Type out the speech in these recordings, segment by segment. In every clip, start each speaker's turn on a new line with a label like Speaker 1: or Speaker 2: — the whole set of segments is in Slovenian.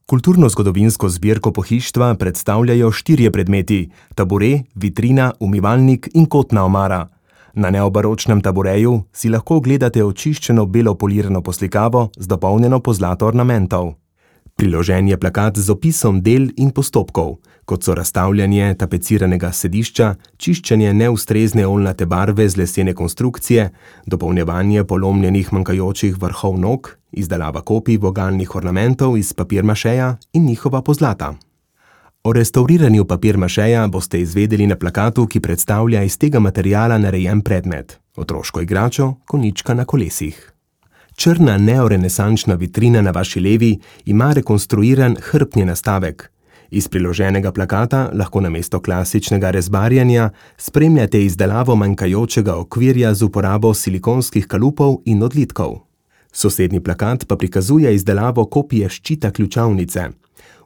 Speaker 1: Kulturno-zgodovinsko zbirko pohištva predstavljajo 4 predmeti: tabure, vitrina, umivalnik in kotna omara. Na neobaročnem tabureju si lahko ogledate očiščeno belo polirano poslikavo z dopolnjeno pozlato ornamentov. Priložen je plakat z opisom del in postopkov, kot so razstavljanje tapeciranega sedišča, čiščenje neustrezne oljnate barve z lesene konstrukcije, dopolnjevanje polomljenih manjkajočih vrhov nog, izdelava kopij vogalnih ornamentov iz papirmašeja in njihova pozlata. O restavriranju papirmašeja boste izvedeli na plakatu, ki predstavlja iz tega materiala narejen predmet: otroško igračo, konjička na kolesih. Črna neorenesančna vitrina na vaši levi ima rekonstruiran hrbtni nastavek. Iz priloženega plakata lahko namesto klasičnega rezbarjanja spremljate izdelavo manjkajočega okvirja z uporabo silikonskih kalupov in odlitkov. Sosednji plakat pa prikazuje izdelavo kopije ščita ključavnice.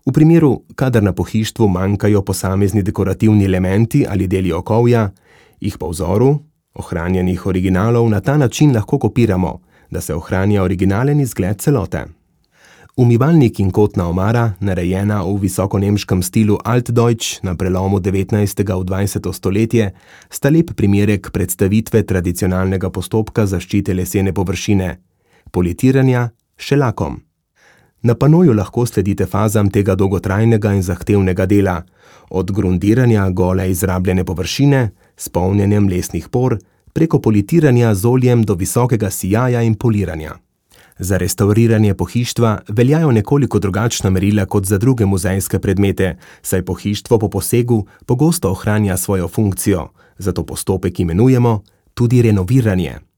Speaker 1: V primeru, kadar na pohištvu manjkajo posamezni dekorativni elementi ali deli okovja, jih po vzoru ohranjenih originalov na ta način lahko kopiramo, da se ohranja originalen izgled celote. Umivalnik in kotna omara, narejena v visokonemškem stilu Altdeutsch na prelomu 19. v 20. stoletje, sta lep primerek predstavitve tradicionalnega postopka zaščite lesene površine, politiranja s šelakom. Na panoju lahko sledite fazam tega dolgotrajnega in zahtevnega dela, od grundiranja gole izrabljene površine s polnjenjem lesnih por, preko politiranja z oljem do visokega sijaja in poliranja. Za restavriranje pohištva veljajo nekoliko drugačna merila kot za druge muzejske predmete, saj pohištvo po posegu pogosto ohranja svojo funkcijo, zato postopek imenujemo tudi renoviranje.